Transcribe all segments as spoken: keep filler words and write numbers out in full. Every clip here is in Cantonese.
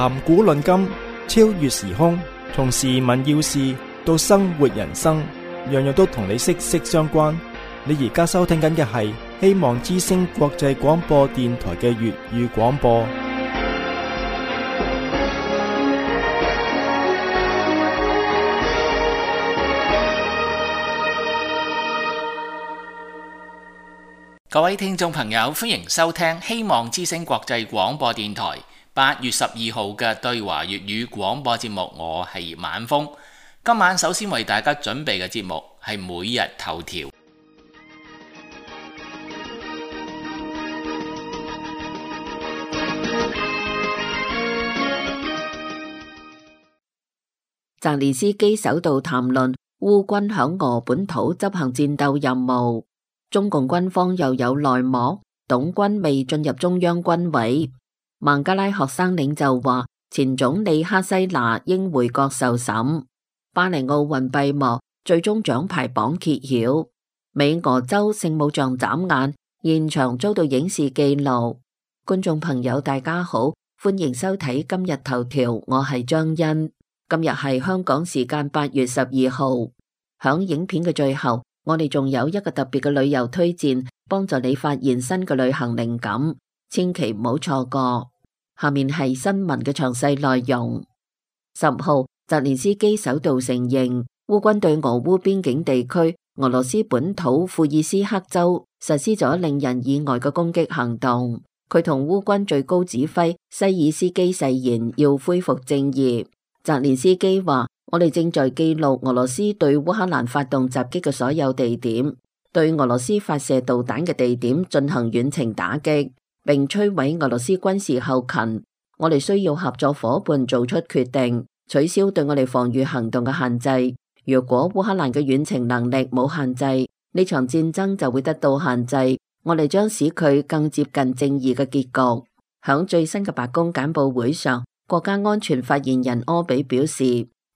談古論今，超越時空，從時聞要事到生活人生，樣樣都同你息息相關。你而家收聽緊嘅係希望之聲國際廣播電台嘅粵語廣播。各位聽眾朋友，歡迎收聽希望之聲國際廣播電台八月十二號嘅對華粵語廣播節目。我係葉晚風。今晚首先為大家準備嘅節目係每日頭條。澤連斯基首度談論烏軍響俄本土執行戰鬥任務。中共軍方又有內幕，董軍未進入中央軍委。孟加拉學生領袖話，前總理哈西娜應回國受審。巴黎奧運閉幕，最終獎牌榜揭曉。美俄州聖母像眨眼，現場遭到影視記錄。觀眾朋友大家好，歡迎收睇今日頭條，我係張欣。今日係香港時間八月十二號。響影片嘅最後，我哋仲有一個特別嘅旅遊推薦，幫助你發現新嘅旅行靈感，千祈唔好錯過。下面係新聞嘅詳細內容。十號，澤連斯基首度承認烏軍對俄烏邊境地區俄羅斯本土庫爾斯克州實施咗令人意外嘅攻擊行動。佢同烏軍最高指揮西爾斯基誓言要恢復正義。澤連斯基話，我哋正在記錄俄羅斯對烏克蘭發動襲擊嘅所有地點，對俄羅斯發射導彈嘅地點進行遠程打擊，並摧毀俄羅斯軍事後勤。我哋需要合作夥伴做出決定，取消對我哋防禦行動嘅限制。如果烏克蘭嘅遠程能力冇限制，呢場戰爭就會得到限制。我哋將使佢更接近正義嘅結局。響最新嘅白宮簡報會上，國家安全發言人柯比表示，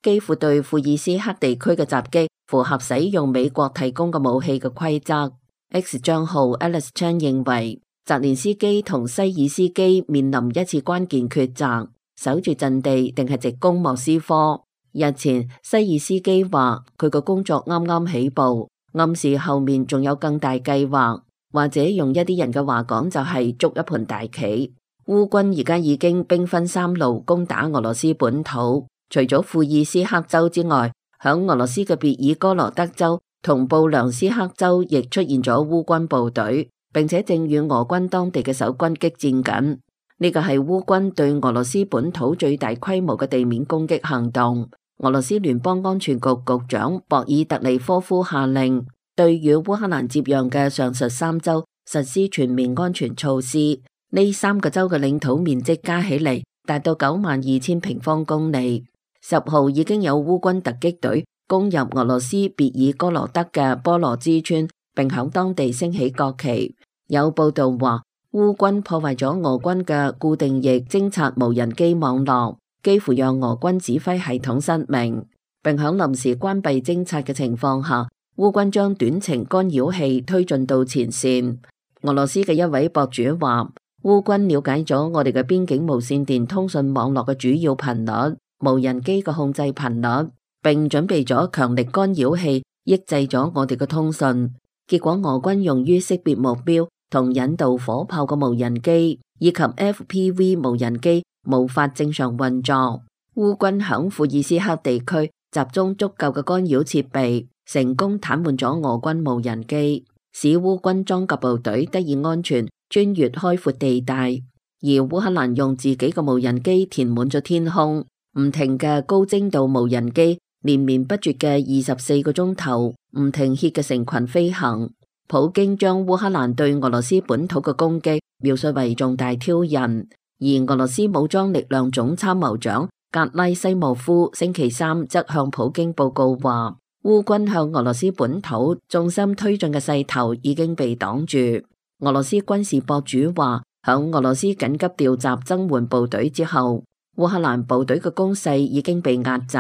基輔對庫爾斯克地區嘅襲擊符合使用美國提供嘅武器嘅規則。X 賬號 Alice Chan 認為，澤連斯基同西爾斯基面臨一次關鍵抉擇，守住陣地定係直攻莫斯科。日前，西爾斯基話佢個工作啱啱起步，暗示後面仲有更大計劃，或者用一啲人嘅話講就係捉一盤大棋。烏軍而家已經兵分三路攻打俄羅斯本土，除咗庫爾斯克州之外，響俄羅斯嘅別爾哥羅德州同布良斯克州亦出現咗烏軍部隊，並且正與俄軍當地嘅守軍激戰緊。呢個係烏軍對俄羅斯本土最大規模嘅地面攻擊行動。俄羅斯聯邦安全局局長博爾特尼科夫下令，對與烏克蘭接壤嘅上述三州實施全面安全措施。呢三個州嘅領土面積加起嚟達到九萬二千平方公里。十號已經有烏軍突擊隊攻入俄羅斯別爾哥羅德嘅波羅茲村，並響當地升起國旗。有報道話，烏軍破壞咗俄軍嘅固定翼偵察無人機網絡，幾乎讓俄軍指揮系統失明，並響臨時關閉偵察嘅情況下，烏軍將短程干擾器推進到前線。俄羅斯嘅一位博主話，烏軍了解咗我哋嘅邊境無線電通訊網絡嘅主要頻率、無人機嘅控制頻率，並準備咗強力干擾器，抑制咗我哋嘅通訊。結果俄軍用於識別目標同引導火炮嘅無人機以及 F P V 無人機無法正常運作。烏軍響庫爾斯克地區集中足夠嘅干擾設備，成功癱瘓咗俄軍無人機，使烏軍裝甲部隊得以安全穿越開闊地帶，而烏克蘭用自己嘅無人機填滿咗天空，唔停嘅高精度無人機連綿不絕嘅二十四個鐘頭唔停歇嘅成群飛行。普京將烏克蘭對俄羅斯本土嘅攻擊描述為重大挑釁，而俄羅斯武裝力量總參謀長格拉西莫夫星期三則向普京報告話，烏軍向俄羅斯本土重心推進嘅勢頭已經被擋住。俄羅斯軍事博主話，響俄羅斯緊急調集增援部隊之後，烏克蘭部隊嘅攻勢已經被壓制。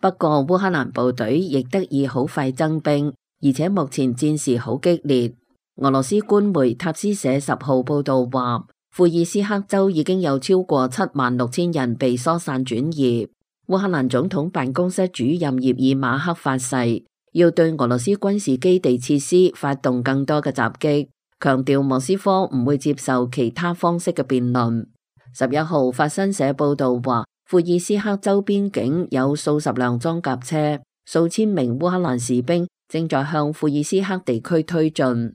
不過烏克蘭部隊亦得以好快增兵，而且目前戰事好激烈。俄羅斯官媒塔斯社十號報道話，庫爾斯克州已經有超過七萬六千人被疏散轉移。烏克蘭總統辦公室主任葉爾馬克發誓，要對俄羅斯軍事基地設施發動更多嘅襲擊，強調莫斯科唔會接受其他方式嘅辯論。十一號，法新社報道話，庫爾斯克州邊境有數十輛裝甲車，數千名烏克蘭士兵正在向庫爾斯克地區推進。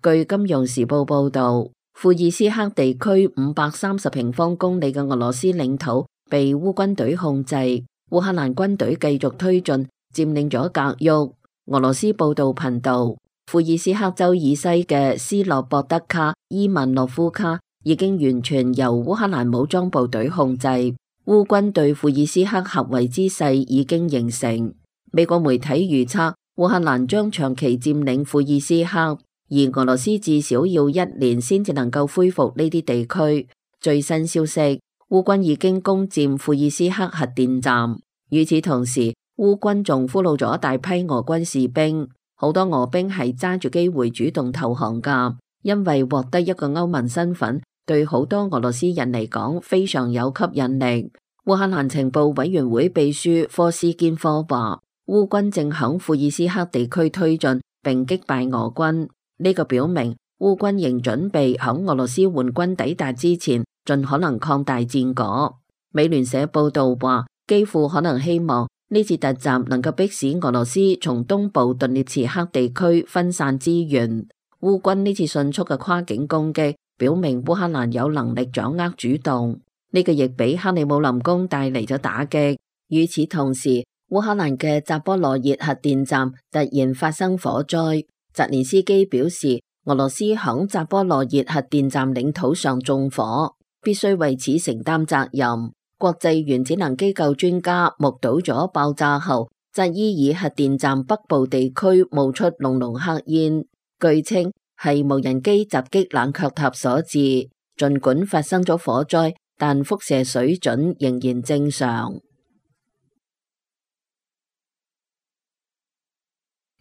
據金融時報報道，庫爾斯克地區五百三十平方公里嘅俄羅斯領土被烏軍隊控制，烏克蘭軍隊繼續推進，佔領咗格沃。俄羅斯報道頻道，庫爾斯克州以西嘅斯洛博德卡、伊萬諾夫卡已經完全由烏克蘭武裝部隊控制，烏軍對庫爾斯克合圍之勢已經形成。美國媒體預測，烏克蘭將長期佔領庫爾斯克，而俄羅斯至少要一年先至能夠恢復呢啲地區。最新消息，烏軍已經攻佔庫爾斯克核電站。與此同時，烏軍仲俘虜咗大批俄軍士兵，好多俄兵係揸住機會主動投降噶，因為獲得一個歐盟身份，對好多俄羅斯人嚟講非常有吸引力。烏克蘭情報委員會秘書科斯堅科話，烏軍正響庫爾斯克地區推進並擊敗俄軍，呢個表明烏軍仍準備響俄羅斯援軍抵達之前盡可能擴大戰果。美聯社報道話，基輔可能希望呢次突襲能夠迫使俄羅斯從東部頓涅茨克地區分散資源。烏軍呢次迅速嘅跨境攻擊表明烏克蘭有能力掌握主動，呢個亦俾克里姆林宮帶嚟咗打擊。與此同時，烏克蘭嘅扎波羅熱核電站突然發生火災，澤連斯基表示俄羅斯響扎波羅熱核電站領土上縱火，必須為此承擔責任。國際原子能機構專家目睹咗爆炸後，扎伊爾核電站北部地區冒出濃濃黑煙，據稱係無人機襲擊冷卻塔所致。盡管發生咗火災，但輻射水準仍然正常。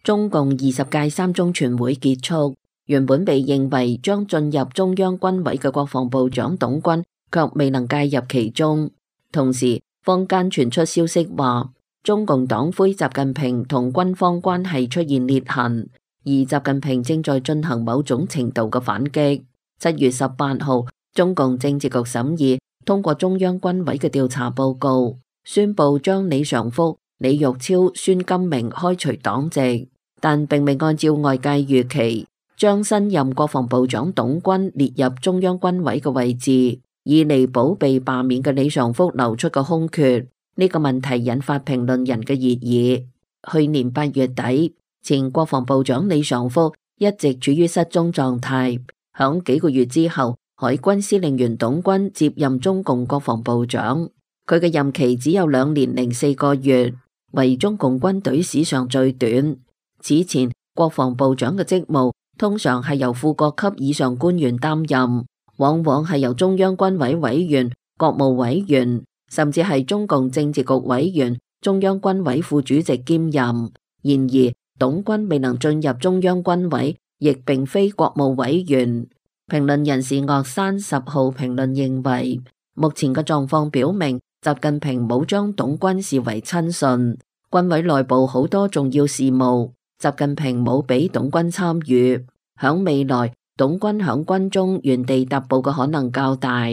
中共二十屆三中全會結束，原本被認為將進入中央軍委嘅國防部長董軍卻未能介入其中。同時，坊間傳出消息話，中共黨魁習近平同軍方關係出現裂痕，而習近平正在進行某種程度嘅反擊。七月十八號，中共政治局審議通過中央軍委嘅調查報告，宣布將李尚福、李玉超、孫金明開除黨籍，但並未按照外界預期將新任國防部長董軍列入中央軍委嘅位置，以彌補被罷免嘅李尚福流出嘅空缺。呢個問題引發評論人嘅熱議。去年八月底，前國防部長李尚福一直處於失蹤狀態。響幾個月之後，海軍司令員董軍接任中共國防部長，佢嘅任期只有兩年零四個月，為中共軍隊史上最短。此前，國防部長嘅職務通常係由副國級以上官員擔任，往往係由中央軍委委員、國務委員，甚至係中共政治局委員、中央軍委副主席兼任。然而，董軍未能進入中央軍委，亦並非國務委員。評論人士岳山十號評論認為，目前嘅狀況表明，習近平冇將董軍視為親信，軍委內部好多重要事務，習近平冇俾董軍參與。響未來，董軍響軍中原地踏步嘅可能較大。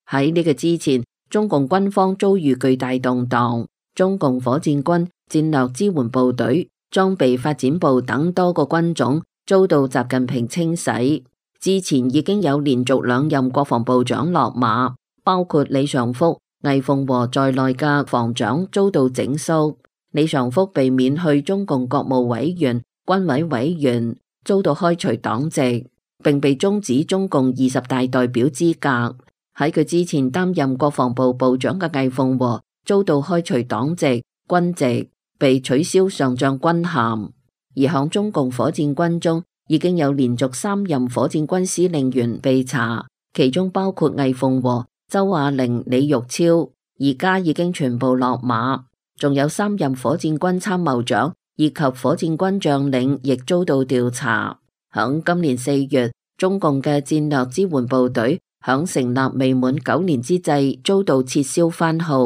喺呢個之前，中共軍方遭遇巨大動盪，中共火箭軍、戰略支援部隊、裝備發展部等多個軍種遭到習近平清洗。之前已經有連續兩任國防部長落馬，包括李尚福、魏鳳和在內嘅防長遭到整肅。李尚福被免去中共國務委員、軍委委員，遭到開除黨籍，並被終止中共二十大代表資格。喺佢之前擔任國防部部長嘅魏鳳和遭到開除黨籍、軍籍，被取消上將軍銜。而響中共火箭軍中，已經有連續三任火箭軍司令員被查，其中包括魏鳳和、周亞玲、李玉超，而家已經全部落馬。仲有三任火箭軍參謀長以及火箭軍將領亦遭到調查。響今年四月，中共嘅戰略支援部隊響成立未滿九年之際遭到撤銷番號，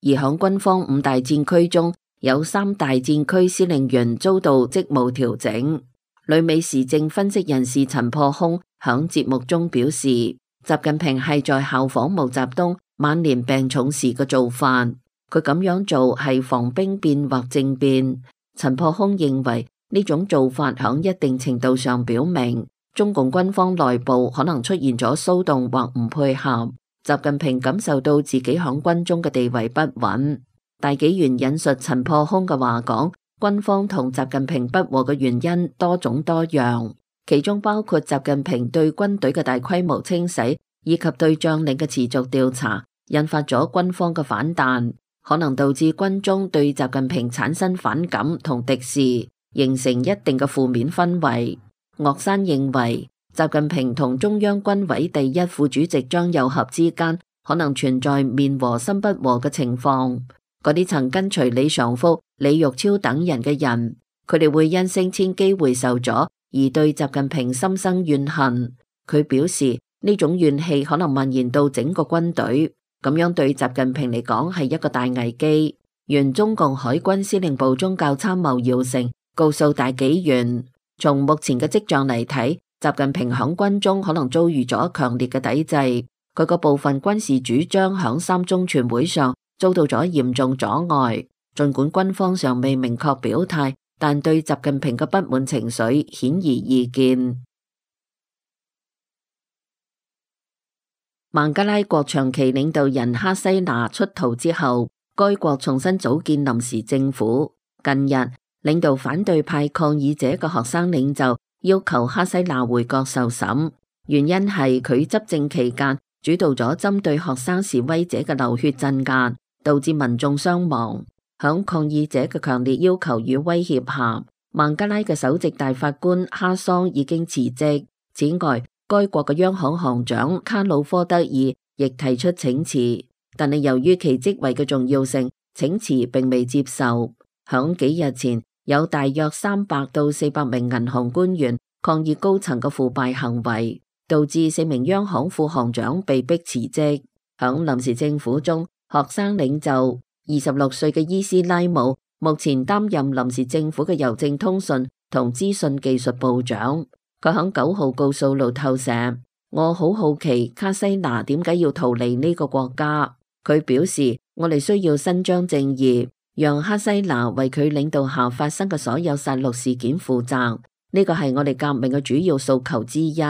而響軍方五大戰區中有三大戰區司令員遭到職務調整。旅美時政分析人士陳破空響節目中表示，習近平係在效仿毛澤東晚年病重時嘅做法，佢咁樣做係防兵變或政變。陳破空認為呢種做法響一定程度上表明中共軍方內部可能出現咗騷動或唔配合，習近平感受到自己響軍中嘅地位不穩。大紀元引述陳破空嘅話講，軍方同習近平不和嘅原因多種多樣，其中包括習近平對軍隊嘅大規模清洗，以及對將領嘅持續調查，引發咗軍方嘅反彈，可能導致軍中對習近平產生反感同敵視，形成一定嘅負面氛圍。岳山認為，習近平同中央軍委第一副主席張又俠之間可能存在面和心不和嘅情況。嗰啲曾跟隨李尚福、李玉超等人嘅人，佢哋會因升遷機會受阻而對習近平心生怨恨。佢表示呢種怨氣可能蔓延到整個軍隊，咁樣對習近平嚟講係一個大危機。原中共海軍司令部宗教參謀姚成告訴大紀元，從目前嘅跡象嚟睇，習近平響軍中可能遭遇咗強烈嘅抵制，佢個部分軍事主張響三中全會上遭到咗嚴重阻礙。盡管軍方尚未明確表態，但對習近平嘅不滿情緒顯而易見。孟加拉國長期領導人哈西娜出逃之後，該國重新組建臨時政府。近日，領導反對派抗議者嘅學生領袖要求哈西娜回國受審，原因係佢執政期間主導咗針對學生示威者嘅流血鎮壓，導致民眾傷亡。響抗議者嘅強烈要求與威脅下，孟加拉嘅首席大法官哈桑已經辭職。此外，該國嘅央行行長卡魯科德爾亦提出請辭，但係由於其職位嘅重要性，請辭並未接受。響幾日前，有大約三百到四百名銀行官員抗議高層嘅腐敗行為，導致四名央行副行長被迫辭職。響臨時政府中，學生領袖二十六歲嘅伊斯拉姆目前擔任臨時政府嘅郵政通訊同資訊技術部長。佢響九號告訴路透社，我好好奇卡西娜點解要逃離呢個國家。佢表示，我哋需要伸張正義，讓哈西娜為佢領導下發生嘅所有殺戮事件負責，呢個係我哋革命嘅主要訴求之一。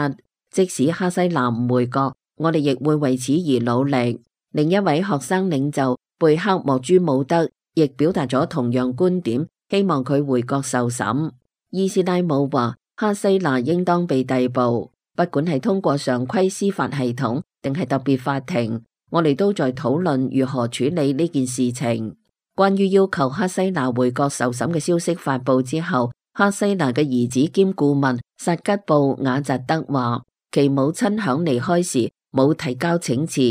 即使哈西娜唔回國，我哋亦會為此而努力。另一位學生領袖貝克莫朱姆德亦表達咗同樣觀點，希望佢回國受審。伊斯拉姆話，哈西娜應當被逮捕，不管係通過常規司法系統定係特別法庭，我哋都在討論如何處理呢件事情。關於要求哈西娜回國受審嘅消息發佈之後，哈西娜嘅兒子兼顧問薩吉布雅扎德話，其母親響離開時冇提交請辭，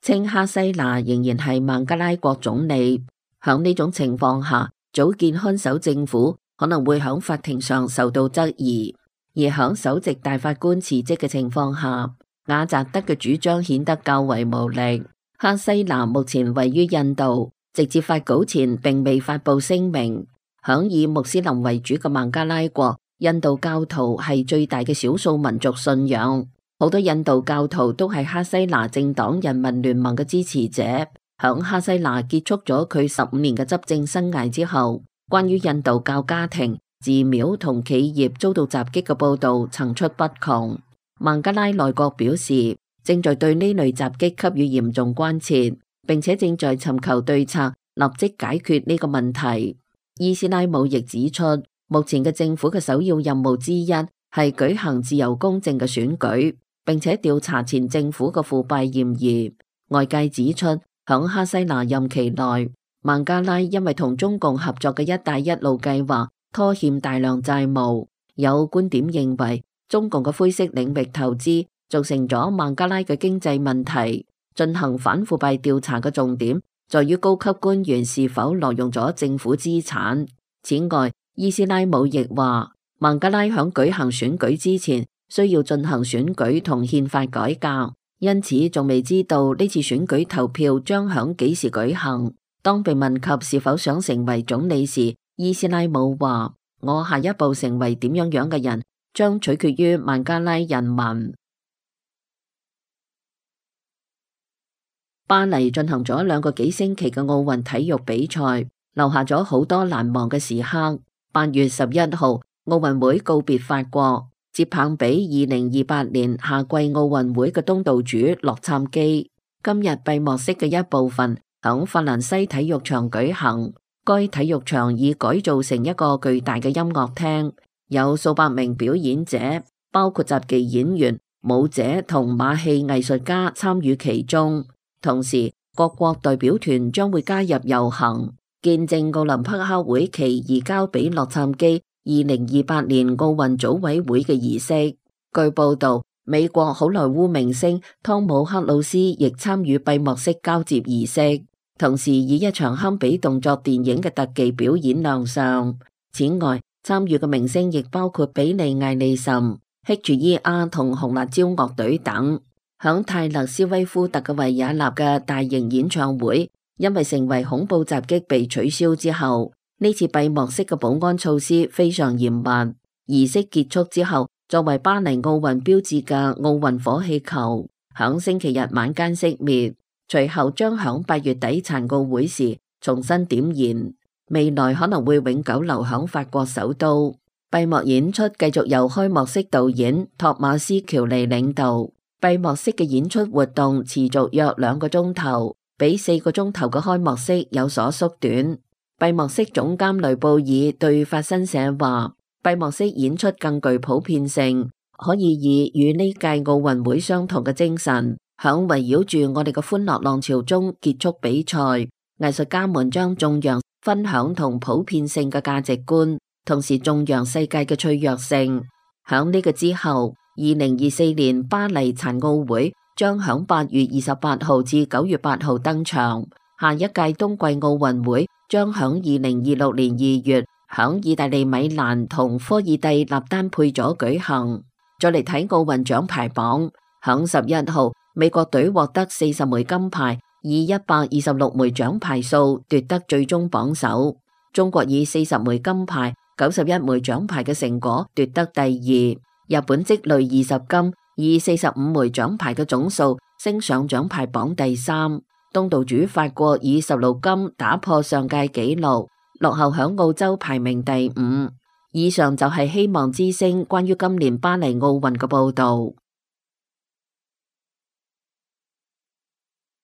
稱哈西娜仍然係孟加拉國總理。響呢種情況下，組建看守政府可能會響法庭上受到質疑，而響首席大法官辭職嘅情況下，雅扎德嘅主張顯得較為無力。哈西娜目前位於印度，直至發稿前並未發布聲明。響以穆斯林為主嘅孟加拉國，印度教徒係最大嘅少數民族信仰，好多印度教徒都係哈西娜政黨人民聯盟嘅支持者。響哈西娜結束咗佢十五年嘅執政生涯之後，關於印度教家庭、寺廟同企業遭到襲擊嘅報道層出不窮。孟加拉內閣表示，正在對呢類襲擊給予嚴重關切，並且正在尋求對策，立即解決呢個問題。伊斯拉姆亦指出，目前嘅政府嘅首要任務之一係舉行自由公正嘅選舉，並且調查前政府嘅腐敗嫌疑。外界指出，響哈西娜任期內，孟加拉因為同中共合作嘅一帶一路計劃拖欠大量債務。有觀點認為，中共嘅灰色領域投資造成咗孟加拉嘅經濟問題。進行反腐敗調查嘅重點在於高級官員是否挪用咗政府資產。此外，伊斯拉姆亦話，孟加拉響舉行選舉之前需要進行選舉同憲法改革，因此仲未知道呢次選舉投票將響幾時舉行。當被問及是否想成為總理時，伊斯拉姆話：我下一步成為點樣樣嘅人，將取決於孟加拉人民。巴黎進行咗兩個幾星期嘅奧運體育比賽，留下咗好多難忘嘅時刻。八月十一號，奧運會告別法國，接棒俾二零二八年夏季奧運會嘅東道主洛杉磯。今日閉幕式嘅一部分響法蘭西體育場舉行，該體育場已改造成一個巨大嘅音樂廳，有數百名表演者，包括雜技演員、舞者同馬戲藝術家參與其中。同時，各國代表團將會加入遊行，見證奧林匹克會旗移交俾洛杉磯二零二八年奧運組委會嘅儀式。據報道，美國好萊塢明星湯姆克魯斯亦參與閉幕式交接儀式，同時以一場堪比動作電影嘅特技表演亮相。此外，參與嘅明星亦包括比利艾利岑、希住伊阿同紅辣椒樂隊等。響泰勒斯威夫特嘅維也納嘅大型演唱會，因為成為恐怖襲擊被取消之後，呢次閉幕式嘅保安措施非常嚴密。儀式結束之後，作為巴黎奧運標誌嘅奧運火氣球響星期日晚間熄滅，隨後將響八月底殘奧會時重新點燃，未來可能會永久留響法國首都。閉幕演出繼續由開幕式導演托馬斯喬尼領導。閉幕式嘅演出活動持續約兩個鐘頭，比四個鐘頭嘅開幕式有所縮短。閉幕式總監雷布爾對法新社話：閉幕式演出更具普遍性，可以以與呢屆奧運會相同嘅精神，響圍繞住我哋嘅歡樂浪潮中結束比賽。藝術家們將頌揚分享同普遍性嘅價值觀，同時頌揚世界嘅脆弱性。響呢個之後，二零二四年巴黎殘奧會將響八月二十八號至九月八號登場，下一屆冬季奧運會將響二零二六年二月響意大利米蘭同科爾蒂納丹佩佐舉行。再嚟睇奧運獎牌榜，響十一號美國隊獲得四十枚金牌，以一百二十六枚獎牌數奪得最終榜首。中國以四十枚金牌、九十一枚獎牌嘅成果奪得第二。日本積累二十金，以四十五枚獎牌嘅總數升上獎牌榜第三。東道主法國以十六金打破上屆紀錄，落後響澳洲排名第五。以上就係希望之聲關於今年巴黎奧運嘅報道。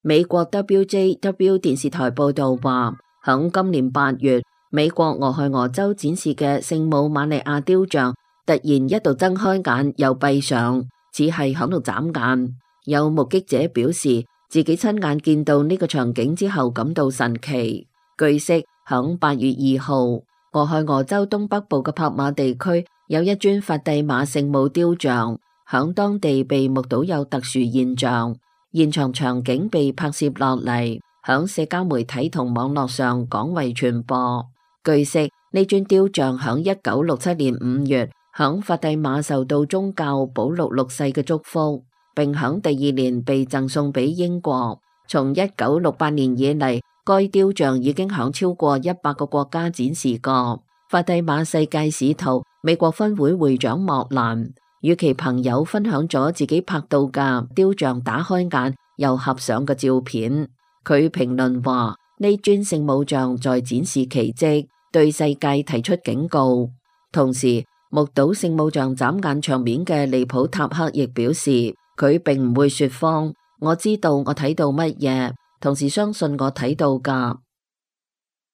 美國 W J W 電視台報道話，響今年八月，美國俄亥俄州展示嘅聖母瑪利亞雕像突然一度睜開眼又閉上，似係響度眨眼。有目擊者表示，自己親眼見到呢個場景之後感到神奇。據悉，響八月二號，俄亥俄州東北部嘅帕馬地區有一尊法蒂瑪聖母雕像，響當地被目睹有特殊現象，現場場景被拍攝落嚟，響社交媒體同網絡上廣為傳播。據悉，呢尊雕像響一九六七年五月，響法蒂瑪受到宗教保祿六世嘅祝福，並響第二年被贈送俾英國。從一九六八年以嚟，該雕像已經響超過一百個國家展示過。法蒂瑪世界使徒美國分會會長莫蘭與其朋友分享咗自己拍到嘅雕像打開眼又合上嘅照片。佢評論話：呢尊聖母像在展示奇蹟，對世界提出警告。同時，目睹聖母像眨眼場面嘅利普塔克亦表示，佢並唔會說謊，我知道我睇到乜嘢，同時相信我睇到㗎。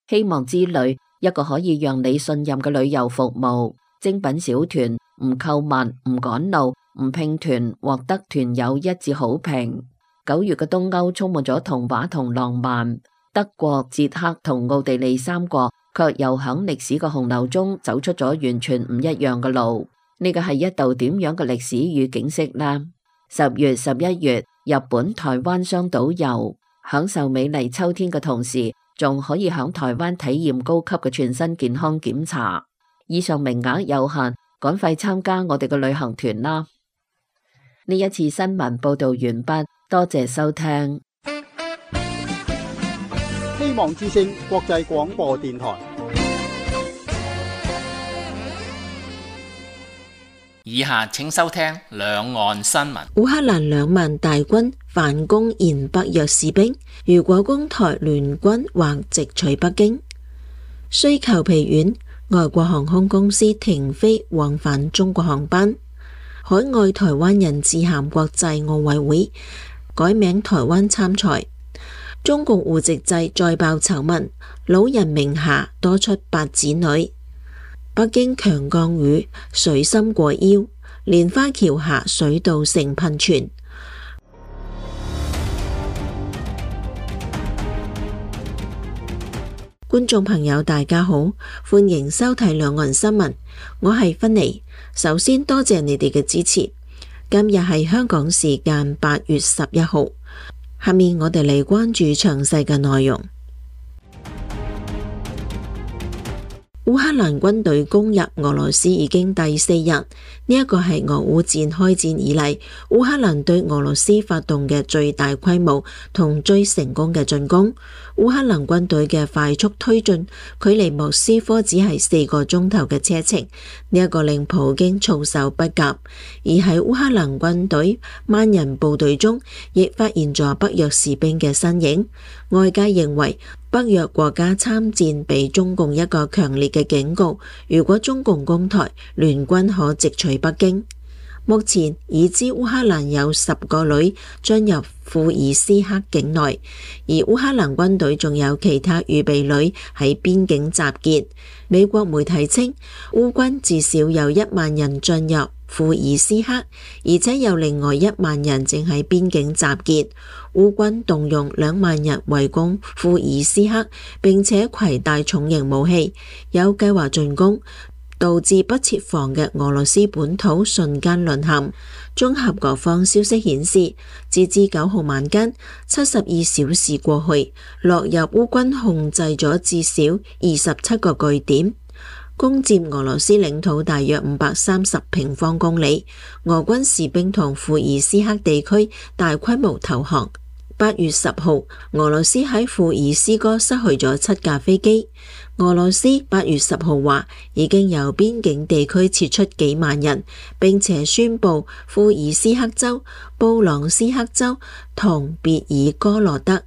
希望之旅，一個可以讓你信任嘅旅遊服務，精品小團，唔購物，唔趕路，唔拼團，獲得團友一致好評。九月嘅東歐充滿咗童話同浪漫，德國、捷克同奧地利三國卻又響歷史嘅洪流中走出咗完全唔一樣嘅路。呢個係一道點樣嘅歷史與景色呢？十月、十一月，日本、台灣雙島遊，享受美麗秋天嘅同時，仲可以響台灣體驗高級嘅全身健康檢查。以上名額有限，趕快參加我哋嘅旅行團啦！呢一次新聞報道完畢，多謝收聽。希望之聲國際廣播電台。以下請收聽兩岸新聞。烏克蘭兩萬大軍反攻延北約士兵，如果攻台，聯軍或直取北京。需求疲軟，外國航空公司停飛往返中國航班。海外台灣人致函國際奧委會，改名台灣參賽。中共戶籍制再爆醜聞，老人名下多出八子女。北京強降雨，水深過腰，蓮花橋下水稻成噴泉。觀眾朋友大家好，歡迎收睇兩岸新聞，我係芬妮。首先多謝你哋嘅支持。今日係香港時間八月十一號，下面我哋嚟關注詳細嘅內容。烏克蘭軍隊攻入俄羅斯已經第四日，呢一個係俄烏戰開戰以嚟烏克蘭對俄羅斯發動嘅最大規模同最成功嘅進攻。烏克蘭軍隊嘅快速推進，距離莫斯科只係四個鐘頭嘅車程，呢一個令普京措手不及。而喺烏克蘭軍隊萬人部隊中，亦發現咗北約士兵嘅身影。外界認為北約國家參戰俾中共一個強烈嘅警告，如果中共攻台，聯軍可直取北京。目前已知烏克蘭有十個旅進入庫爾斯克境內，而烏克蘭軍隊仲有其他預備旅喺邊境集結。美國媒體稱，烏軍至少有一萬人進入庫爾斯克，而且有另外一萬人正喺邊境集結。烏軍動用兩萬人圍攻庫爾斯克，並且攜帶重型武器，有計劃進攻，導致不設防嘅俄羅斯本土瞬間淪陷。綜合各方消息顯示，截至九號晚間，七十二小時過去，落入烏軍控制咗至少二十七個據點，攻佔俄羅斯領土大約五百三十平方公里。俄軍士兵同庫爾斯克地區大規模投降。八月十號，俄羅斯喺庫爾斯哥失去咗七架飛機。俄羅斯八月十號話已經由邊境地區撤出幾萬人，並且宣布庫爾斯克州、布朗斯克州同別爾哥羅德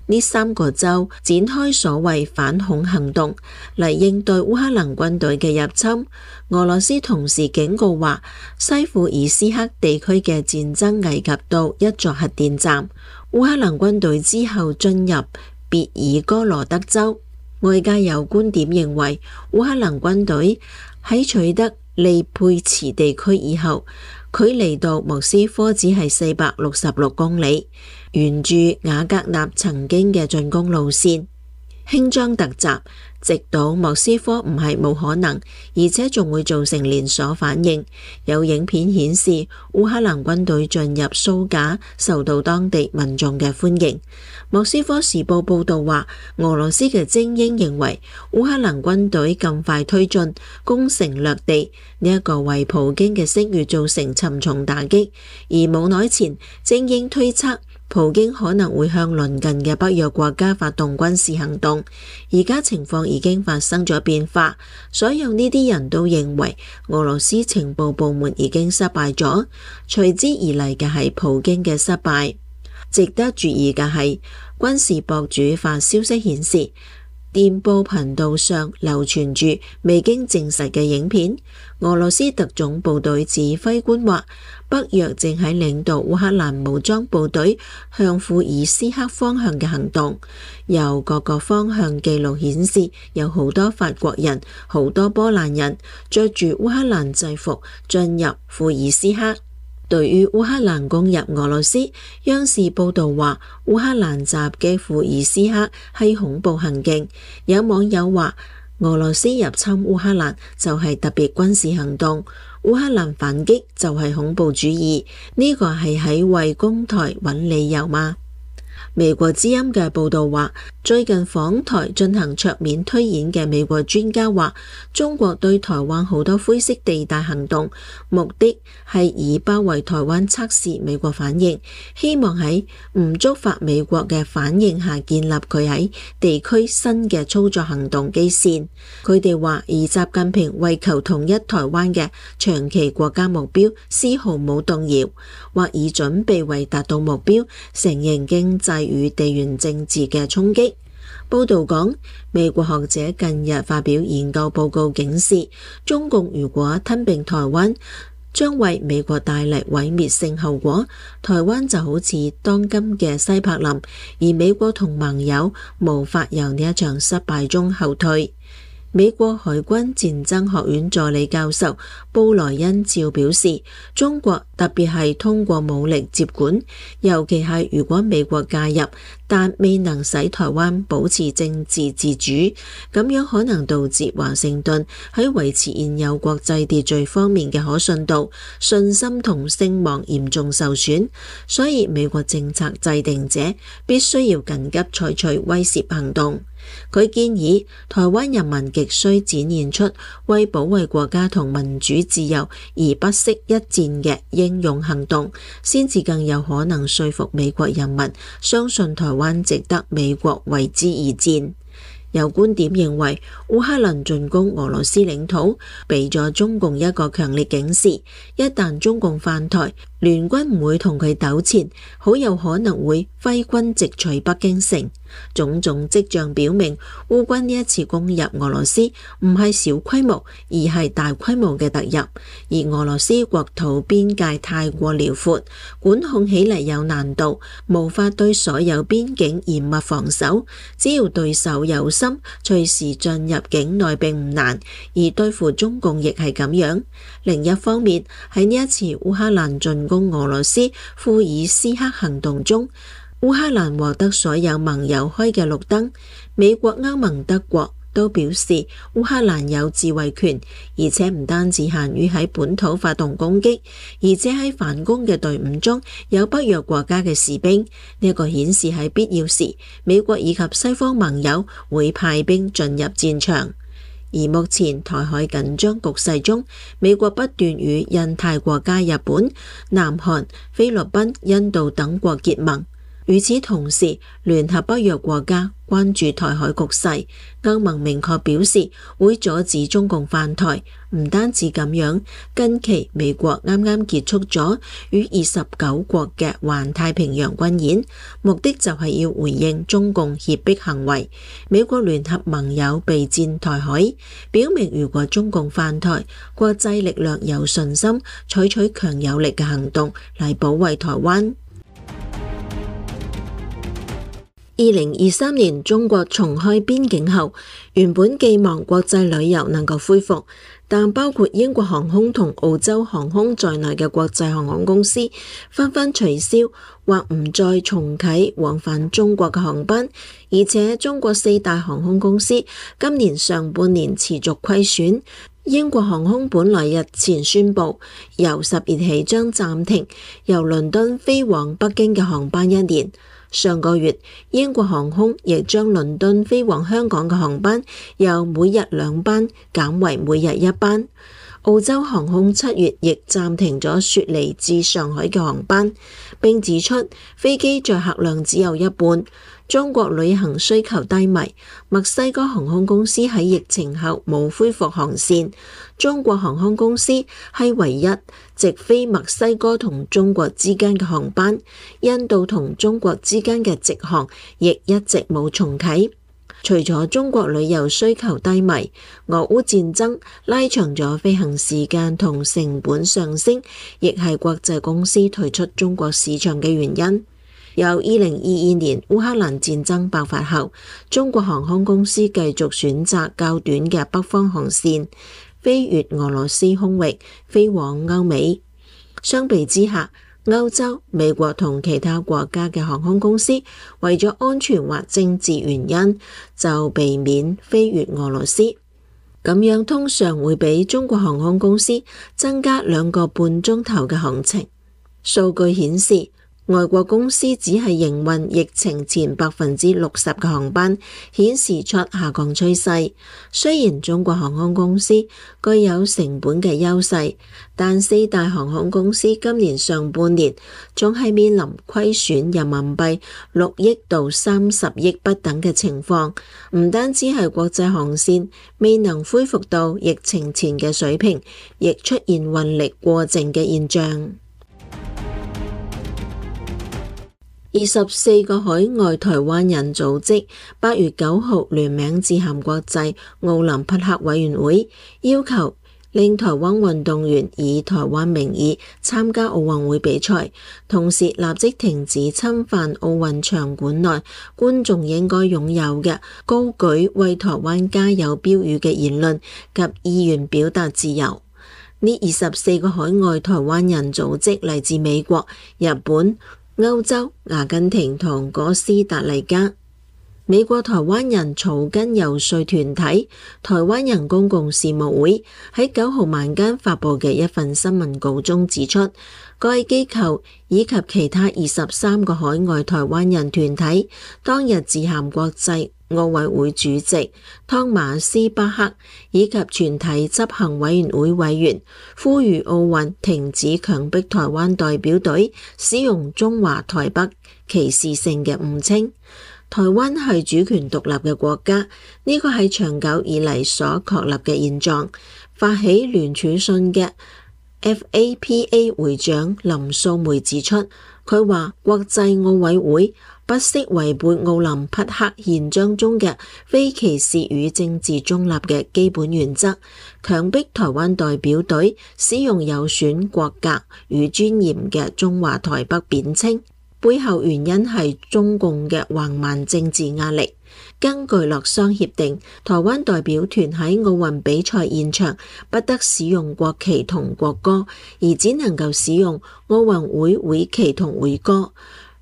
呢三個州展開所謂反恐行動嚟應對烏克蘭軍隊嘅入侵。俄羅斯同時警告話，西庫爾斯克地區嘅戰爭危及到一座核電站。烏克蘭軍隊之後進入別爾哥羅德州。外界有觀點認為，烏克蘭軍隊喺取得利佩茨地區以後，距離到莫斯科只係四百六十六公里，沿住瓦格納曾經嘅進攻路線輕裝突襲，直到莫斯科唔係冇可能，而且仲會造成連鎖反應。有影片顯示烏克蘭軍隊進入蘇賈，受到當地民眾嘅歡迎。莫斯科時報報道話，俄羅斯嘅精英認為烏克蘭軍隊咁快推進，攻城略地，呢、這、一個為普京嘅聲譽造成沉重打擊。而冇耐前，精英推測普京可能會向鄰近嘅北約國家發動軍事行動。而家情況已經發生咗變化，所有呢啲人都認為俄羅斯情報部門已經失敗咗，隨之而嚟嘅係普京嘅失敗。值得注意嘅係，軍事博主發消息顯示，電報頻道上流傳住未經證實嘅影片。俄羅斯特種部隊指揮官話，北約正喺領導烏克蘭武裝部隊向庫爾斯克方向嘅行動。由各個方向記錄顯示，有好多法國人、好多波蘭人着住烏克蘭制服進入庫爾斯克。對於烏克蘭攻入俄羅斯，央視報道話，烏克蘭襲擊庫爾斯克係恐怖行徑。有網友話，俄羅斯入侵烏克蘭就係特別軍事行動，烏克蘭反擊就係恐怖主義，呢個係喺為攻台揾理由嗎？美國之音嘅報導話，最近訪台進行桌面推演嘅美國專家話，中國對台灣好多灰色地帶行動，目的係以包圍台灣測試美國反應，希望喺唔觸發美國嘅反應下建立佢喺地區新嘅操作行動基線。佢哋話，以習近平為求統一台灣嘅長期國家目標絲毫冇動搖，或以準備為達到目標承認經濟與地緣政治嘅衝擊。報道講，美國學者近日發表研究報告警示，中共如果吞併台灣，將為美國帶嚟毀滅性後果。台灣就好似當今嘅西柏林，而美國同盟友無法由呢一場失敗中後退。美國海軍戰爭學院助理教授布萊恩照表示，中國特別係通過武力接管，尤其係如果美國介入，但未能使台灣保持政治自主，咁樣可能導致華盛頓喺維持現有國際秩序方面嘅可信度、信心同聲望嚴重受損。所以美國政策制定者必須要緊急採取威懾行動。佢建議台灣人民極需展現出為保衛國家同民主自由而不惜一戰嘅英勇行動，先至更有可能說服美國人民相信台灣值得美國為之而戰。有觀點認為，烏克蘭進攻俄羅斯領土，俾咗中共一個強烈警示，一旦中共犯台，聯軍唔會同佢糾纏，好有可能會揮軍直取北京城。種種跡象表明，烏軍呢一次攻入俄羅斯唔係小規模，而係大規模嘅突入。而俄羅斯國土邊界太過遼闊，管控起嚟有難度，無法對所有邊境嚴密防守。只要對手有心，隨時進入境內並唔難，而對付中共亦係咁樣。另一方面，喺呢一次烏克蘭進攻俄羅斯庫爾斯克行動中，烏克蘭獲得所有盟友開嘅綠燈，美國、歐盟、德國都表示烏克蘭有自衛權，而且唔單止限於喺本土發動攻擊，而且喺反攻嘅隊伍中有北約國家嘅士兵。呢一個顯示喺必要時，美國以及西方盟友會派兵進入戰場。而目前台海緊張局勢中，美國不斷與印太國家日本、南韓、菲律賓、印度等國結盟。與此同時，聯合北約國家關注台海局勢，歐盟明確表示會阻止中共犯台。唔單止咁樣，近期美國啱啱結束咗與二十九國嘅環太平洋軍演，目的就係要回應中共脅迫行為。美國聯合盟友備戰台海，表明如果中共犯台，國際力量有信心採取強有力嘅行動嚟保衛台灣。二零二三年中國重開邊境後，原本寄望國際旅遊能夠恢復，但包括英國航空同澳洲航空在內嘅國際航空公司紛紛取消或唔再重啟往返中國嘅航班，而且中國四大航空公司今年上半年持續虧損。英國航空本來日前宣布，由十月起將暫停由倫敦飛往北京嘅航班一年。上個月，英國航空亦將倫敦飛往香港嘅航班由每日兩班減為每日一班。澳洲航空七月亦暫停咗雪梨至上海嘅航班，並指出飛機載客量只有一半。中國旅行需求低迷，墨西哥航空公司喺疫情後冇恢復航線。中國航空公司係唯一直飛墨西哥同中國之間嘅航班，印度同中國之間嘅直航亦一直冇重啟。除咗中國旅遊需求低迷，俄烏戰爭拉長咗飛行時間同成本上升，亦係國際公司退出中國市場嘅原因。由二零二二年烏克蘭戰爭爆發後，中國航空公司繼續選擇較短嘅北方航線，飛越俄羅斯空域，飛往歐美。相比之下，歐洲、美國同其他國家嘅航空公司為咗安全或政治原因，就避免飛越俄羅斯。咁樣通常會比中國航空公司增加兩個半鐘頭嘅航程。數據顯示，外國公司只係營運疫情前百分之六十嘅航班，顯示出下降趨勢。雖然中國航空公司具有成本嘅優勢，但四大航空公司今年上半年仲係面臨虧損人民幣六億到三十億不等嘅情況。唔單止係國際航線未能恢復到疫情前嘅水平，亦出現運力過剩嘅現象。二十四個海外台灣人組織八月九號聯名致函國際奧林匹克委員會，要求令台灣運動員以台灣名義參加奧運會比賽，同時立即停止侵犯奧運場館內觀眾應該擁有嘅高舉為台灣加油標語嘅言論及意願表達自由。呢二十四個海外台灣人組織嚟自美國、日本、歐洲、阿根廷同哥斯達黎加。美國台灣人草根遊說團體台灣人公共事務會喺九號晚間發佈嘅一份新聞稿中指出，該機構以及其他二十三個海外台灣人團體當日致函國際奧委會主席湯馬斯巴克以及全體執行委員會委員，呼籲奧運停止強迫台灣代表隊使用中華台北歧視性嘅誤稱。台灣係主權獨立嘅國家，呢個係長久以嚟所確立嘅現狀。發起聯署信嘅 F A P A 會長林素梅指出，佢話國際奧委會不惜違背奧林匹克憲章中嘅非歧視與政治中立嘅基本原則，強迫台灣代表隊使用有損國格與尊嚴嘅中華台北貶稱。背後原因係中共嘅橫蠻政治壓力。根據洛桑協定，台灣代表團喺奧運比賽現場不得使用國旗同國歌，而只能夠使用奧運會會旗同會歌。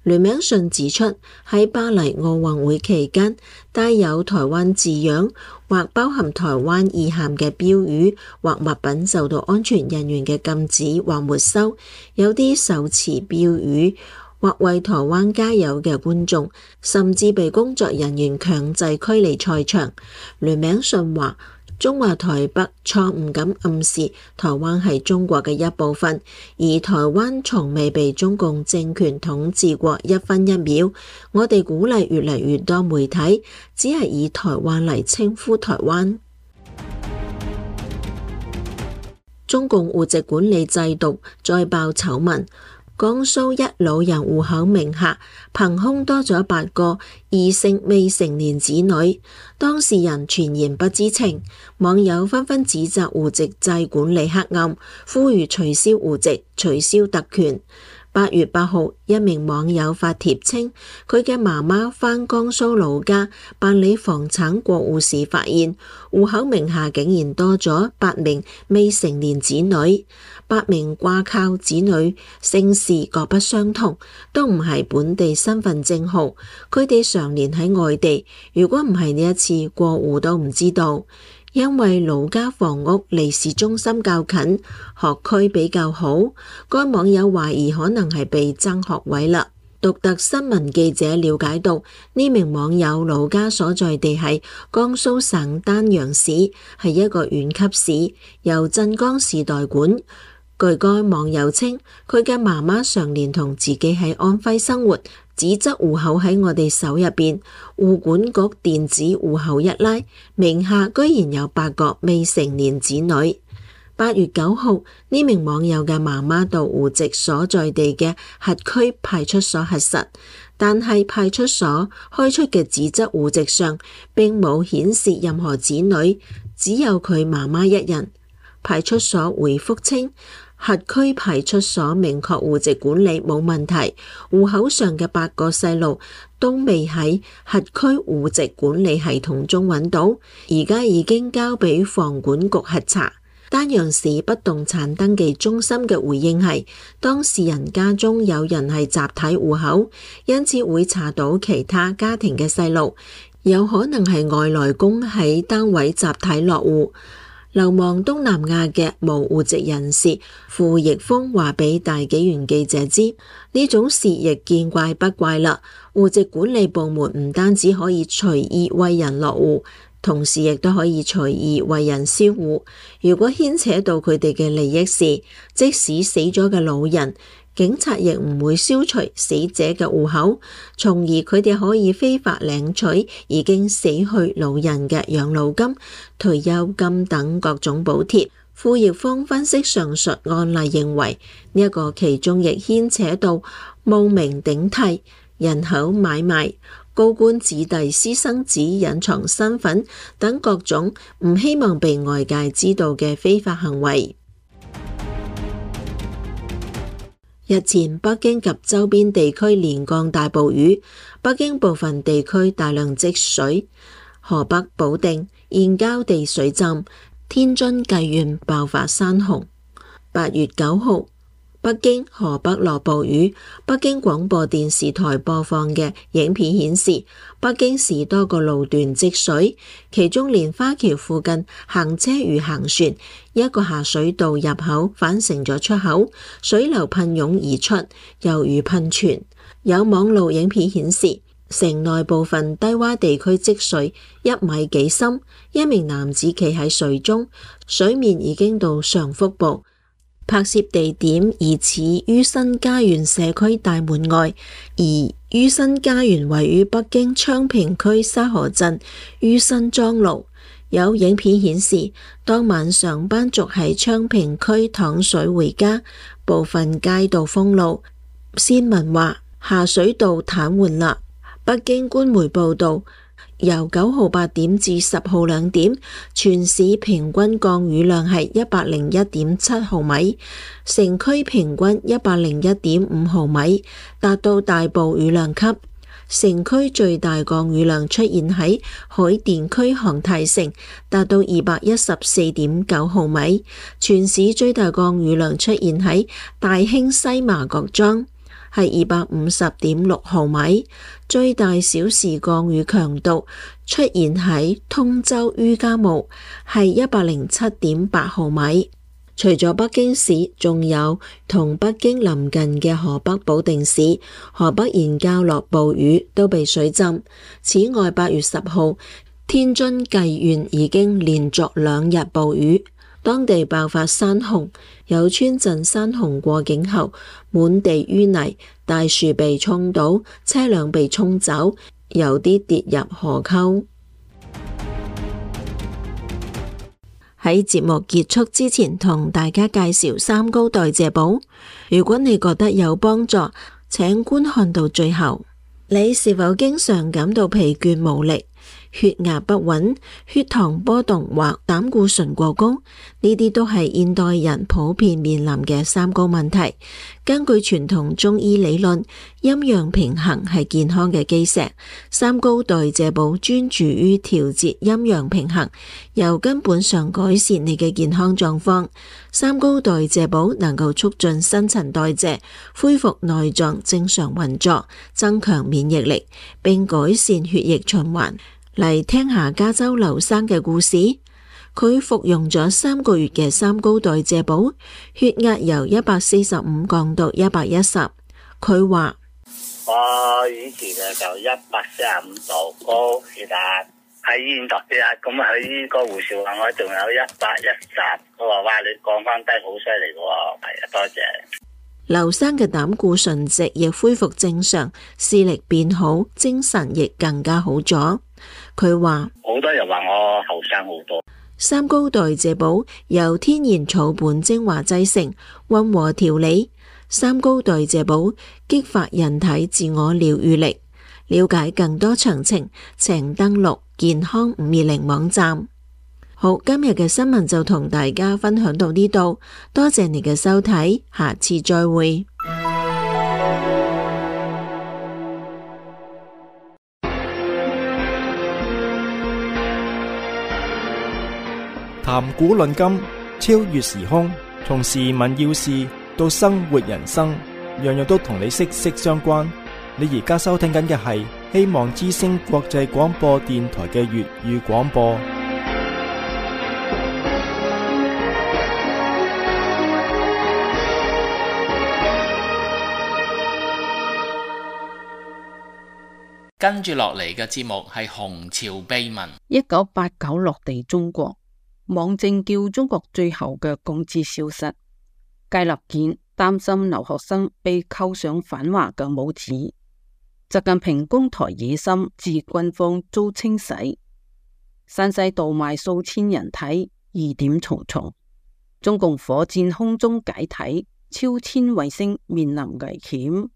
聯名信指出，喺巴黎奧運會期間，帶有台灣字樣或包含台灣意涵嘅標語或物品受到安全人員嘅禁止或沒收。有啲手持標語或為台灣加油嘅觀眾，甚至被工作人員強制驅離賽場。聯名信話，中華台北錯誤咁暗示台灣係中國嘅一部分，而台灣從未被中共政權統治過一分一秒。我哋鼓勵越嚟越多媒體只係以台灣嚟稱呼台灣。中共戶籍管理制度再爆醜聞。江蘇一老人戶口名下憑空多咗八個異性未成年子女，當事人全然不知情，網友紛紛指責戶籍制管理黑暗，呼籲取消戶籍、取消特權。八月八號，一名網友發帖稱，佢嘅媽媽返江蘇老家辦理房產過戶時，發現戶口名下竟然多咗八名未成年子女。八名掛靠子女姓氏各不相同，都唔係本地身份證號，佢哋常年喺外地，如果唔係呢一次過戶都唔知道。因為老家房屋離市中心較近，學區比較好，該網友懷疑可能係被爭學位啦。獨特新聞記者了解到，呢名網友老家所在地係江蘇省丹陽市，係一個縣級市，由鎮江市代管。據該網友稱，佢嘅媽媽常年同自己喺安徽生活，紙質戶口喺我哋手入邊，戶管局電子戶口一拉，名下居然有八個未成年子女。八月九號，呢名網友嘅媽媽到戶籍所在地嘅轄區派出所核實，但係派出所開出嘅紙質戶籍上並冇顯示任何子女，只有佢媽媽一人。派出所回覆稱，轄區派出所明確戶籍管理冇問題，戶口上嘅八個細路都未喺轄區戶籍管理系統中揾到，而家已經交俾房管局核查。丹陽市不動產登記中心嘅回應係，當事人家中有人係集體戶口，因此會查到其他家庭嘅細路，有可能係外來工喺單位集體落戶。流亡東南亞嘅無戶籍人士傅奕峰話俾大紀元記者知，呢種事亦見怪不怪啦。戶籍管理部門唔單止可以隨意為人落戶，同時亦都可以隨意為人銷戶。如果牽扯到佢哋嘅利益時，即使死咗嘅老人，警察亦唔會消除死者嘅戶口，從而佢哋可以非法領取已經死去老人嘅養老金、退休金等各種補貼。傅奕峰分析上述案例認為，呢、這、一個其中亦牽扯到冒名頂替、人口買賣、高官子弟私生子隱藏身份等各種唔希望被外界知道嘅非法行為。日前，北京及周邊地區連降大暴雨，北京部分地區大量積水，河北保定燕郊地水浸，天津薊縣爆發山洪。八月九號，北京、河北落暴雨。北京廣播電視台播放嘅影片顯示，北京市多個路段積水，其中蓮花橋附近行車如行船，一個下水道入口反成咗出口，水流噴湧而出，猶如噴泉。有網路影片顯示，城內部分低洼地區積水一米幾深，一名男子企喺水中，水面已經到上腹部。拍攝地點疑似于新家園社區大門外，而于新家園位於北京昌平區沙河鎮于新莊路。有影片顯示，當晚上班族喺昌平區淌水回家，部分街道封路。先文話下水道癱瘓啦。北京官媒報道，由九號八點至十號兩點，全市平均降雨量係一百零一點七毫米，城區平均一百零一點五毫米，達到大暴雨量級。城區最大降雨量出現喺海淀區航太城，達到二百一十四點九毫米。全市最大降雨量出現喺大興西麻角莊，係二百五十點六毫米。最大小時降雨強度出現喺通州于家墓，係一百零七點八毫米。除咗北京市，仲有同北京鄰近嘅河北保定市、河北燕郊落暴雨，都被水浸。此外，八月十號，天津薊縣已經連續兩日暴雨，當地爆發山洪，有村鎮山洪過境後滿地淤泥，大樹被沖倒，車輛被沖走，有啲跌入河溝。喺節目結束之前，同大家介紹三高代謝寶。如果你覺得有幫助，請觀看到最後。你是否經常感到疲倦無力、血壓不穩、血糖波動或膽固醇過高？呢啲都係現代人普遍面臨嘅三高問題。根據傳統中醫理論，陰陽平衡係健康嘅基石。三高代謝寶專注於調節陰陽平衡，由根本上改善你嘅健康狀況。三高代謝寶能夠促進新陳代謝，恢復內臟正常運作，增強免疫力，並改善血液循環。嚟聽下加州劉生嘅故事。佢服用咗三個月嘅三高代謝寶，血壓由一百四十五降到一百一十。佢話：我以前啊就一百四十五度高血壓，喺醫院度血壓，咁啊喺個護士話我仲有一百一十，佢話哇你降翻低好犀利喎，係啊，多謝。劉生嘅膽固醇值亦恢復正常，視力變好，精神亦更加好咗。佢話：好多人話我後生好多。三高代謝寶由天然草本精華製成，溫和調理。三高代謝寶激發人體自我療癒力。了解更多詳情，請登錄健康五二零網站。好，今日嘅新聞就同大家分享到呢度，多謝你嘅收睇，下次再會。談古論今，超越時空，從時聞要事到生活人生，樣樣都同你息息相關。你而家收聽緊嘅係希望之聲國際廣播電台嘅粵語廣播。跟住落嚟嘅節目係《紅潮秘聞》。一九八九落地中國，網政叫中國最後嘅公知消失。芥立健擔心留學生被扣上反華嘅帽子。習近平攻台野心致軍方遭清洗。山西盜賣數千人體，疑點重重。中共火箭空中解體，超千衛星面臨危險。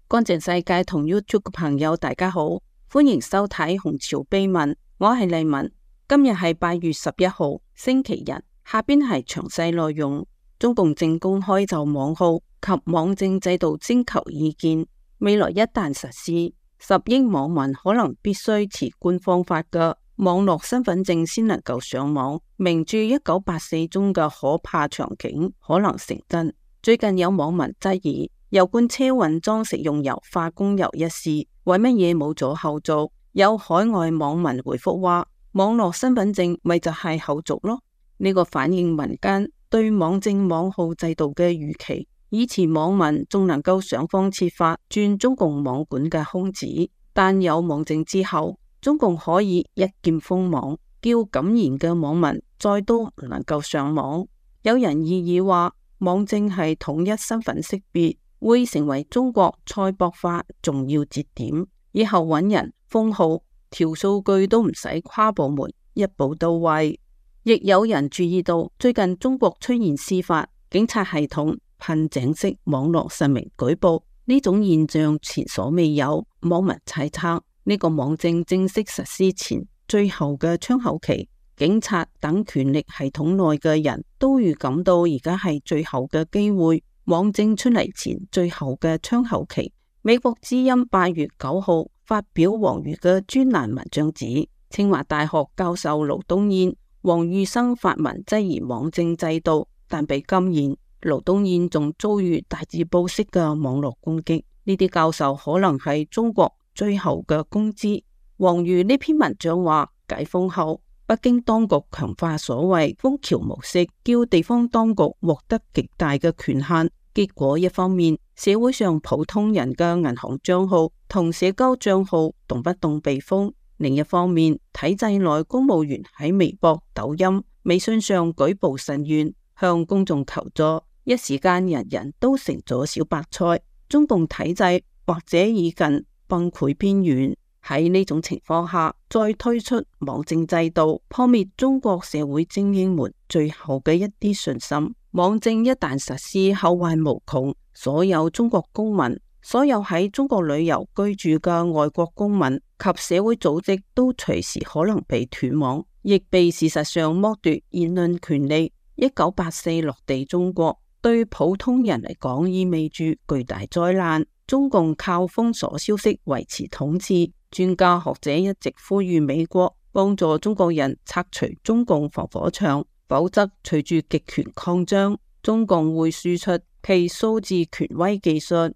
乾淨世界同 YouTube 嘅朋友大家好，歡迎收睇紅潮秘聞，我係麗文。今日係八月十一號星期日，下邊係詳細內容。中共正公開就網號及網政制度徵求意見，未來一旦實施，十億網民可能必須持官方發嘅網絡身份證先能夠上網，明注一九八四中嘅可怕場景可能成真。最近有網民質疑油罐車運裝食用油化工油一事，為乜嘢冇咗後續？有海外網民回覆話，網絡身份證咪就係後續咯。呢、這個反映民間對網政網號制度嘅預期。以前網民仲能夠想方設法鑽中共網管嘅空子，但有網政之後，中共可以一鍵封網，叫敢言嘅網民再都唔能夠上網。有人異議話，網政係統一身份識別，會成為中國賽博化重要節點，以後揾人封號調數據都唔使跨部門一步到位。亦有人注意到最近中國出現司法警察系統噴井式網絡實名舉報，呢種現象前所未有。網民猜測呢個網政正式實施前最後嘅窗口期，警察等權力系統內嘅人都預感到而家係最後嘅機會。網政出嚟前最後嘅窗口期，美國之音八月九號發表王瑜嘅專欄文章指，清華大學教授盧東彥、王玉生發文質疑網政制度，但被禁言。盧東彥仲遭遇大字報式嘅網絡攻擊。呢啲教授可能係中國最後嘅公知。王瑜呢篇文章話，解封後北京當局強化所謂楓橋模式，叫地方當局獲得極大嘅權限。結果一方面，社會上普通人嘅銀行賬號同社交賬號動不動被封；另一方面，體制內公務員喺微博、抖音、微信上舉報申冤，向公眾求助，一時間人人都成咗小白菜。中共體制或者已近崩潰邊緣。喺呢種情況下，再推出網政制度，破滅中國社會精英們最後嘅一啲信心。網政一旦實施，後患無窮，所有中國公民，所有喺中國旅遊居住嘅外國公民及社會組織都隨時可能被斷網，亦被事實上剝奪言論權利。一九八四落地中國，對普通人嚟講意味住巨大災難。中共靠封鎖消息維持統治，專家學者一直呼籲美國幫助中國人拆除中共防火牆，否則隨住極權擴張，中共會輸出其數字權威技術。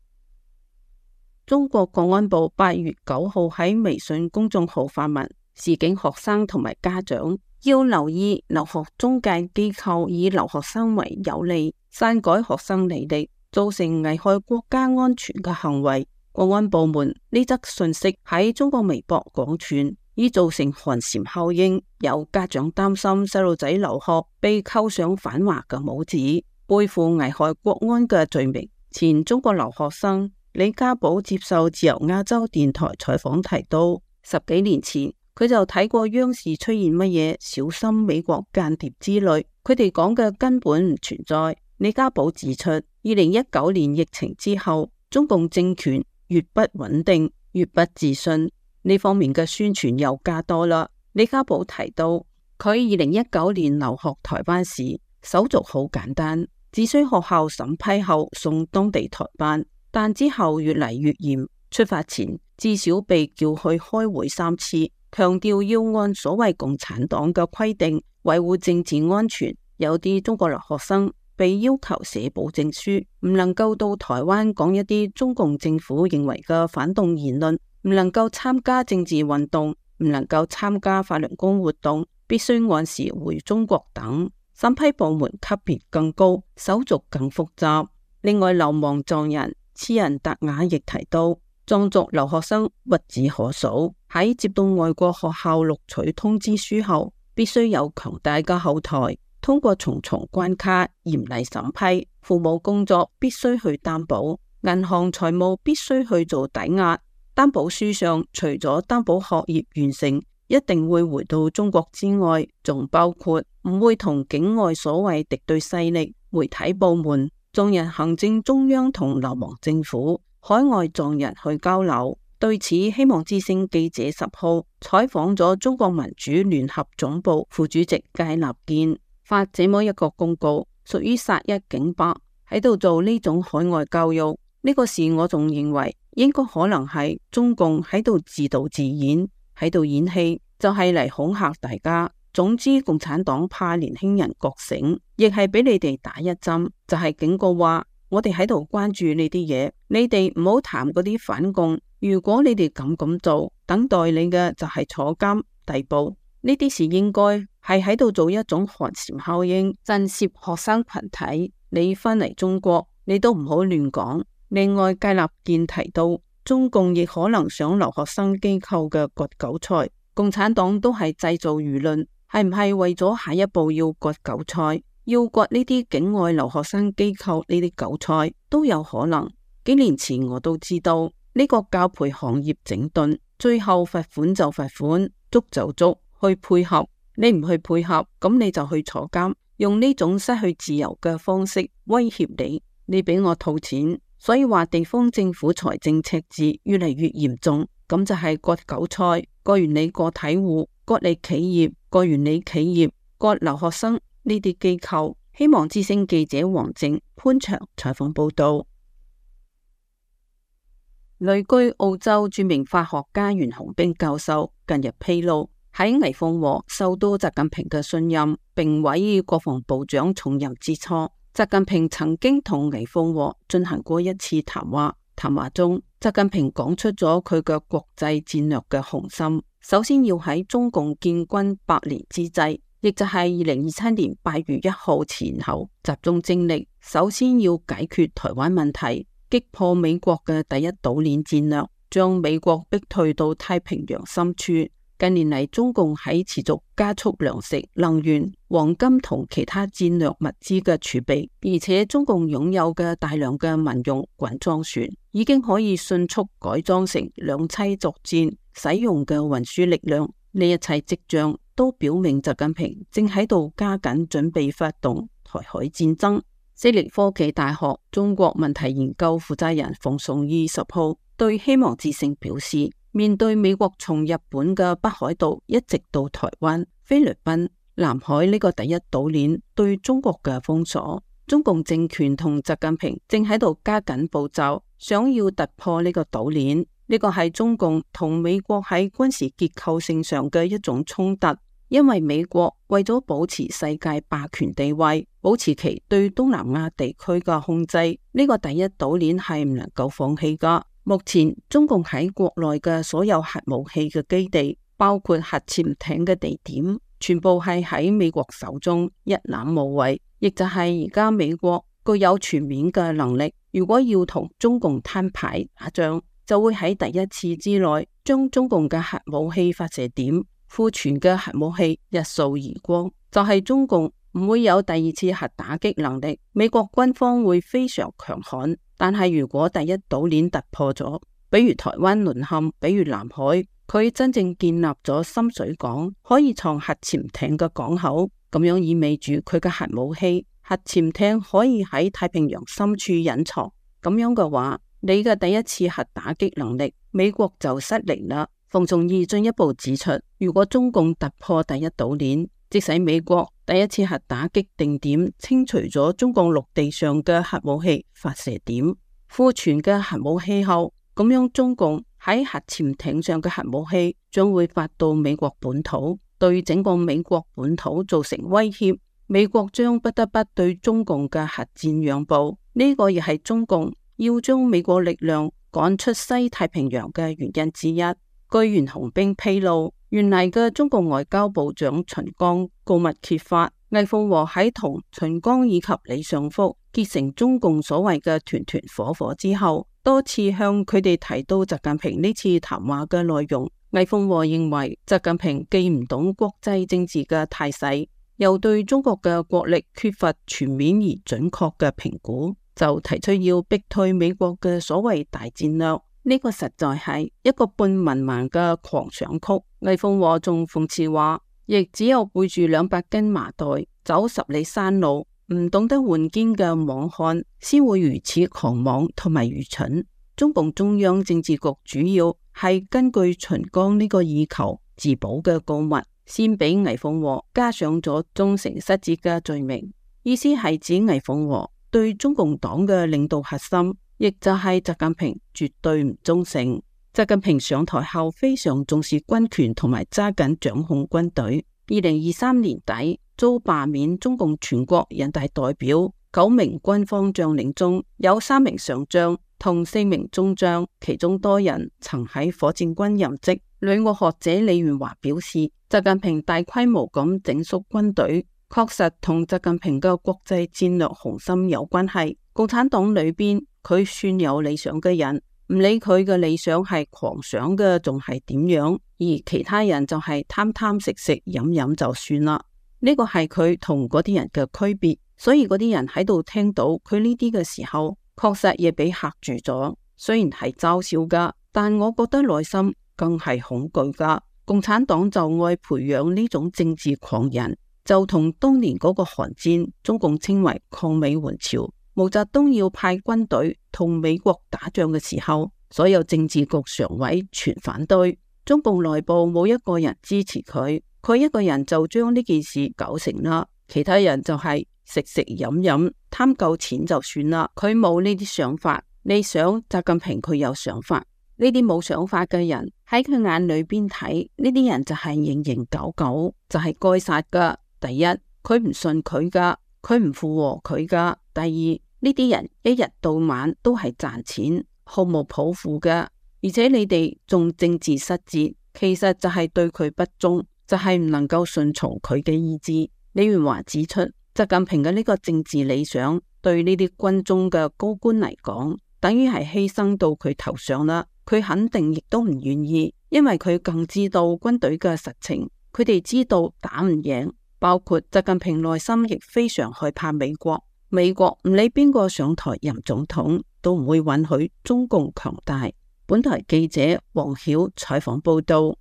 中國國安部八月九號喺微信公眾號發文，示警學生同埋家長要留意留學中介機構以留學生為有利，篡改學生履歷，造成危害國家安全嘅行為。國安部門呢則信息喺中國微博廣傳，已造成寒蟬效應。有家長擔心細路仔留學被扣上反華嘅帽子，背負危害國安嘅罪名。前中國留學生李家寶接受自由亞洲電台採訪提到，十幾年前佢就睇過央視出現乜嘢小心美國間諜之類，佢哋講嘅根本唔存在。李家寶指出，二零一九年疫情之後，中共政權越不穩定，越不自信，呢方面嘅宣傳又加多啦。李家寶提到，佢二零一九年留學台灣時，手續好簡單，只需學校審批後送當地台辦，但之後越嚟越嚴，出發前至少被叫去開會三次，強調要按所謂共產黨嘅規定維護政治安全。有啲中國留學生被要求寫保證書，唔能夠到台灣講一啲中共政府認為嘅反動言論，唔能夠參加政治運動，唔能夠參加法輪功活動，必須按時回中國等。審批部門級別更高，手續更複雜。另外，流亡藏人次仁達雅亦提到，藏族留學生屈指可數。喺接到外國學校錄取通知書後，必須有強大嘅後台，通過重重關卡嚴厲審批。父母工作必須去擔保，銀行財務必須去做抵押。擔保書上除咗擔保學業完成一定會回到中國之外，仲包括唔會同境外所謂敵對勢力、媒體部門、藏人行政中央同流亡政府、海外藏人去交流。對此，希望之聲記者十號採訪咗中國民主聯合總部副主席戒立健，發這麼一個公告，屬於殺一儆百，喺度做呢種海外教育。呢個事我仲認為應該可能係中共喺度自導自演，喺度演戲，就係嚟恐嚇大家。總之，共產黨怕年輕人覺醒，亦係俾你哋打一針，就係警告話我哋喺度關注呢啲嘢，你哋唔好談嗰啲反共。如果你哋咁咁做，等待你嘅就係坐監逮捕。呢啲事應該係喺度做一種寒蟬效應，震懾學生群體。你返嚟中國，你都唔好亂講。另外，戒立健提到，中共亦可能想留學生機構嘅割韭菜。共產黨都係製造輿論，係唔係為咗下一步要割韭菜，要割呢啲境外留學生機構呢啲韭菜都有可能。幾年前我都知道。呢個教培行業整頓，最後罰款就罰款，捉就捉，去配合。你唔去配合，咁你就去坐監，用呢種失去自由嘅方式威脅你。你俾我套錢，所以話地方政府財政赤字越嚟越嚴重，咁就係割韭菜，割完你個體戶，割你企業，割完你企業，割留學生呢啲機構。希望之聲記者黃靜、潘祥採訪報道。旅居澳洲著名法學家袁洪兵教授近日披露，喺魏鳳和受到習近平嘅信任，並委以國防部長重任之初，習近平曾經同魏鳳和進行過一次談話。談話中，習近平講出咗佢嘅國際戰略嘅雄心，首先要喺中共建軍百年之際，亦就係二零二七年八月一號前後，集中精力，首先要解決台灣問題。擊破美國嘅第一島鏈戰略，將美國逼退到太平洋深處。近年嚟，中共喺持續加速糧食、能源、黃金同其他戰略物資嘅儲備，而且中共擁有嘅大量嘅民用滾裝船，已經可以迅速改裝成兩棲作戰使用嘅運輸力量。呢一切跡象都表明習近平正喺度加緊準備發動台海戰爭。悉尼科技大學中國問題研究負責人馮崇義十號對希望之聲表示，面對美國從日本嘅北海道一直到台灣、菲律賓、南海呢個第一島鏈對中國嘅封鎖，中共政權同習近平正喺度加緊步驟，想要突破呢個島鏈。呢個係中共同美國喺軍事結構性上嘅一種衝突。因為美國為咗保持世界霸權地位，保持其對東南亞地區嘅控制，呢個第一島鏈係唔能夠放棄噶。目前中共喺國內嘅所有核武器嘅基地，包括核潛艇嘅地點，全部係喺美國手中，一覽無遺。亦就係而家美國具有全面嘅能力，如果要同中共攤牌打仗，就會喺第一次之內將中共嘅核武器發射點、庫存嘅核武器一掃而光，就係、是、中共唔會有第二次核打擊能力，美國軍方會非常強悍。但係如果第一島鏈突破咗，比如台灣淪陷，比如南海，佢真正建立咗深水港，可以藏核潛艇嘅港口，咁樣意味住佢嘅核武器、核潛艇可以喺太平洋深處隱藏。咁樣嘅話，你嘅第一次核打擊能力，美國就失靈啦。馮崇義進一步指出，如果中共突破第一島鏈，即使美國第一次核打擊定點清除咗中共陸地上嘅核武器發射點、庫存嘅核武器後，咁樣中共喺核潛艇上嘅核武器將會發到美國本土，對整個美國本土造成威脅。美國將不得不對中共嘅核戰讓步，呢、這個亦係中共要將美國力量趕出西太平洋嘅原因之一。據袁洪兵披露，原嚟嘅中共外交部長秦剛告密揭發，魏鳳和喺同秦剛以及李尚福結成中共所謂嘅團團伙伙之後，多次向佢哋提到習近平呢次談話嘅內容。魏鳳和認為習近平既唔懂國際政治嘅態勢，又對中國嘅國力缺乏全面而準確嘅評估，就提出要逼退美國嘅所謂大戰略。呢個實在係一個半文盲嘅狂想曲。魏鳳和仲諷刺話，亦只有背住兩百斤麻袋，走十里山路，唔懂得換肩嘅莽漢，先會如此狂妄同埋愚蠢。中共中央政治局主要係根據秦剛呢個以求自保嘅告密，先俾魏鳳和加上咗忠誠失節嘅罪名，意思係指魏鳳和對中共黨嘅領導核心，亦就係習近平絕對唔忠誠。習近平上台後非常重視軍權同埋揸緊掌控軍隊。二零二三年底遭罷免中共全國人大代表九名軍方將領中，有三名上將同四名中將，其中多人曾喺火箭軍任職。旅外學者李元華表示，習近平大規模咁整肅軍隊，確實同習近平嘅國際戰略雄心有關係。共產黨裏邊佢算有理想嘅人，唔理佢嘅理想係狂想嘅仲係點樣，而其他人就係貪貪食食飲飲就算啦。呢個係佢同嗰啲人嘅區別，所以嗰啲人喺度聽到佢呢啲嘅時候，確實亦俾嚇住咗。雖然係嘲笑噶，但我覺得內心更係恐懼噶。共產黨就愛培養呢種政治狂人，就同當年嗰個韓戰，中共稱為抗美援朝，毛澤東要派軍隊同美國打仗嘅時候，所有政治局常委全反對，中共內部冇一個人支持佢，佢一個人就將呢件事搞成啦，其他人就係食食飲飲，貪夠錢就算啦。佢冇呢啲想法，你想習近平佢有想法，呢啲冇想法嘅人喺佢眼裏邊睇，呢啲人就係形形狗狗，就係該殺噶。第一，佢唔信佢噶，佢唔附和佢噶。第二，呢啲人一日到晚都係賺錢，毫無抱負嘅，而且你哋仲政治失節，其實就係對佢不忠，就係唔能夠順從佢嘅意志。李元華指出，習近平嘅呢個政治理想對呢啲軍中嘅高官嚟講，等於係犧牲到佢頭上啦。佢肯定亦都唔願意，因為佢更知道軍隊嘅實情，佢哋知道打唔贏。包括習近平內心亦非常害怕美國，美國唔理邊個上台任總統，都唔會允許中共強大。本台記者黃曉採訪報道。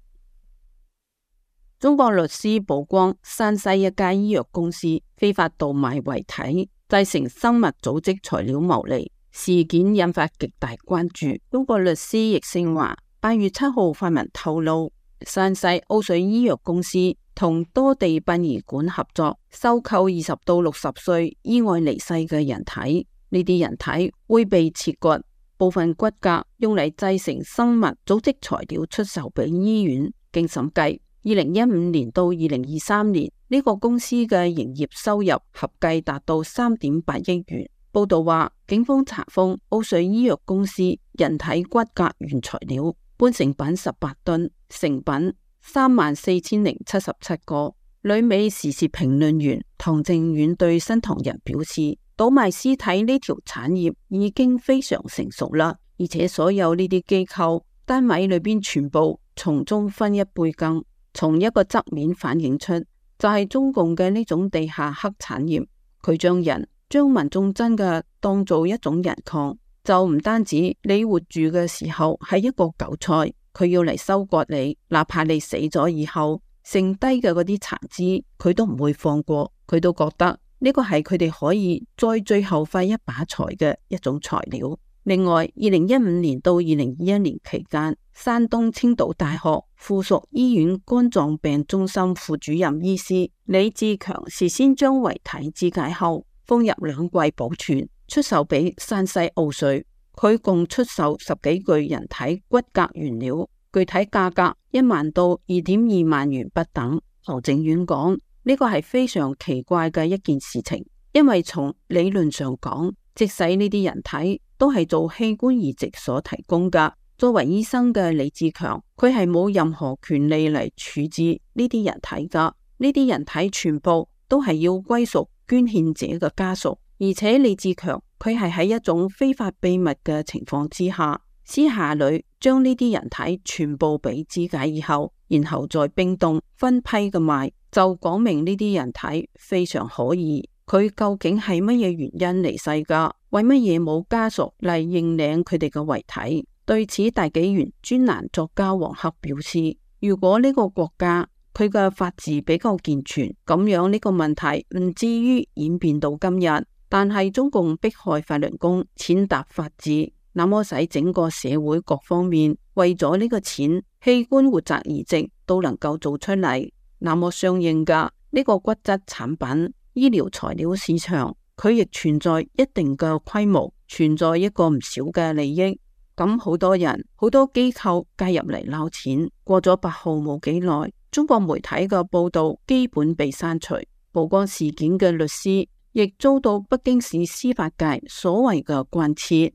中國律師曝光山西一家醫藥公司非法盜賣遺體，製成生物組織材料牟利，事件引發極大關注。中國律師易勝華八月七號發文透露，山西奧瑞醫藥公司同多地殯儀館合作，收購二十到六十歲意外離世嘅人體。呢啲人體會被切割，部分骨骼用嚟製成生物組織材料出售俾醫院。經審計，二零一五年到二零二三年呢、這個公司嘅營業收入合計達到三點八億元。報道話，警方查封奧瑞醫藥公司人體骨骼原材料半成品十八噸，成品三萬四千零七十七個。旅美時事評論員唐正遠對新唐人表示，倒賣屍體呢條產業已經非常成熟啦，而且所有呢啲機構單位裏邊全部從中分一杯羹。從一個側面反映出，就係中共嘅呢種地下黑產業，佢將人將民眾真嘅當做一種人礦，就唔單止你活住嘅時候係一個韭菜，佢要嚟收割你，哪怕你死咗以後剩低嘅嗰啲殘肢，佢都唔會放過，佢都覺得呢個係佢哋可以再最後費一把財嘅一種材料。另外，二零一五年到二零二一年期間，山東青島大學附屬醫院肝臟病中心副主任醫師李志強事先將遺體肢解後封入兩櫃保存，出售俾山西奧瑞。佢共出售十幾具人體骨骼原料，具體價格一萬到二點二萬元不等。唐正遠講，呢個係非常奇怪嘅一件事情，因為從理論上講，即使呢啲人體都係做器官移植所提供噶。作為醫生嘅李志強，佢係冇任何權利嚟處置呢啲人體噶。呢啲人體全部都係要歸屬捐獻者嘅家屬，而且李志強佢係喺一種非法秘密嘅情況之下，私下裏將呢啲人體全部俾肢解以後，然後再冰凍分批嘅賣，就講明呢啲人體非常可疑。佢究竟係乜嘢原因離世噶？為乜嘢冇家屬嚟認領佢哋嘅遺體？對此，大紀元專欄作家黃克表示，如果呢個國家佢嘅法治比較健全，咁樣呢個問題唔至於演變到今日。但係中共迫害法輪功，踐踏法治，那麼使整個社會各方面為咗呢個錢，器官活摘移植都能夠做出嚟，那麼相應嘅呢個骨質產品、醫療材料市場，佢亦存在一定嘅規模，存在一個唔少嘅利益。咁好多人、好多機構介入嚟撈錢。過咗八號冇幾耐，中國媒體嘅報道基本被刪除，曝光事件嘅律師亦遭到北京市司法界所謂嘅關切。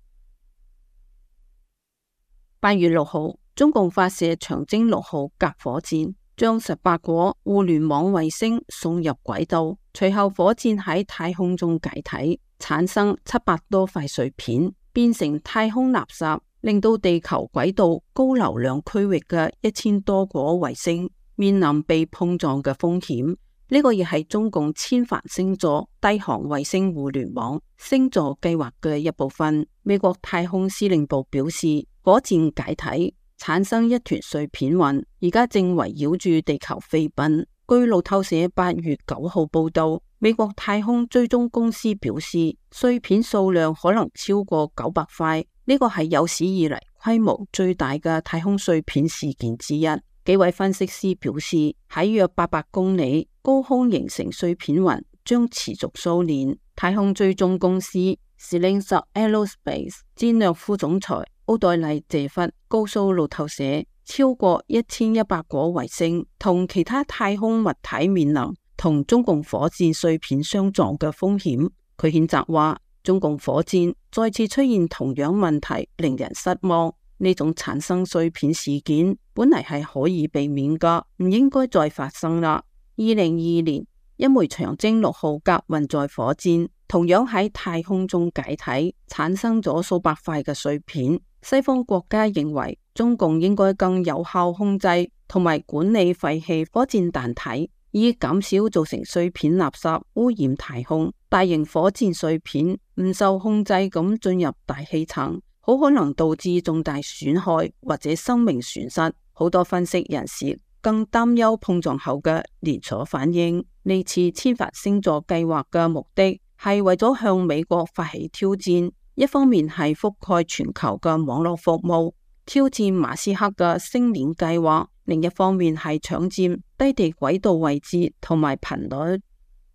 八月六號，中共發射長征六號甲火箭，將十八顆互聯網衛星送入軌道。隨後，火箭喺太空中解體，產生七百多塊碎片，變成太空垃圾，令到地球軌道高流量區域嘅一千多顆衛星面臨被碰撞嘅風險。呢個亦係中共千帆星座低航衛星互聯網星座計劃嘅一部分。美國太空司令部表示，火箭解體產生一團碎片雲，而家正圍繞住地球飛奔。據路透社八月九號報道，美國太空追蹤公司表示，碎片數量可能超過九百塊，呢個係有史以嚟規模最大嘅太空碎片事件之一。幾位分析師表示，喺約八百公里高空形成碎片雲將持續數年。太空追蹤公司 Stellantis Aerospace 戰略副總裁奧黛麗謝弗告訴路透社，超過一千一百顆衛星同其他太空物體面臨同中共火箭碎片相撞嘅風險。佢譴責話，中共火箭再次出現同樣問題，令人失望。呢種產生碎片事件本嚟係可以避免噶，唔應該再發生啦。二零二二年，一枚長征六號甲運載火箭同樣喺太空中解體，產生咗數百塊嘅碎片。西方國家認為中共應該更有效控制同埋管理廢棄火箭彈體，以減少造成碎片垃圾污染太空。大型火箭碎片唔受控制咁進入大氣層，好可能導致重大損害或者生命損失。好多分析人士更擔憂碰撞後嘅連鎖反應。呢次千帆星座計劃嘅目的係為咗向美國發起挑戰，一方面係覆蓋全球嘅網絡服務，挑戰馬斯克嘅星鏈計劃；另一方面係搶佔低地軌道位置同埋頻率。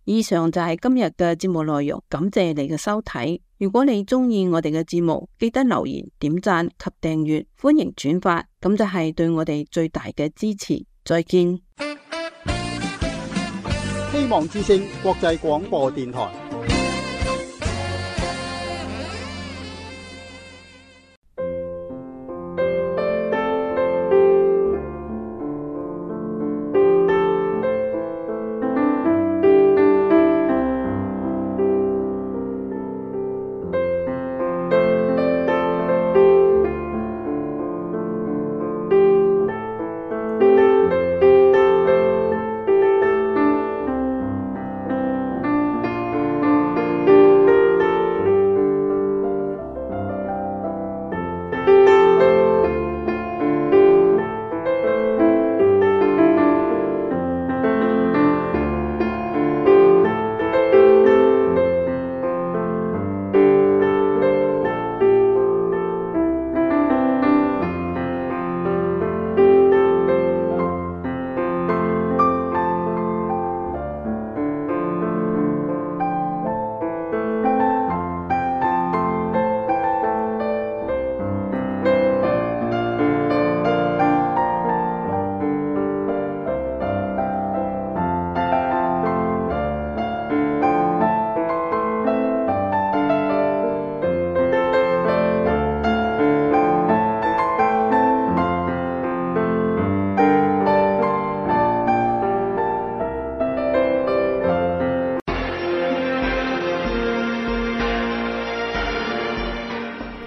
以上就係今日嘅節目內容，感謝你嘅收睇。如果你中意我哋嘅節目，記得留言、點讚及訂閱，歡迎轉發，咁就係對我哋最大嘅支持。再見。希望之聲國際廣播電台。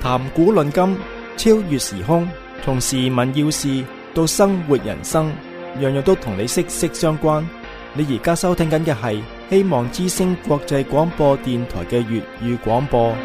談古論今，超越時空，從時聞要事到生活人生，樣樣都同你息息相關。你而家收聽緊嘅係希望之聲國際廣播電台嘅粵語廣播。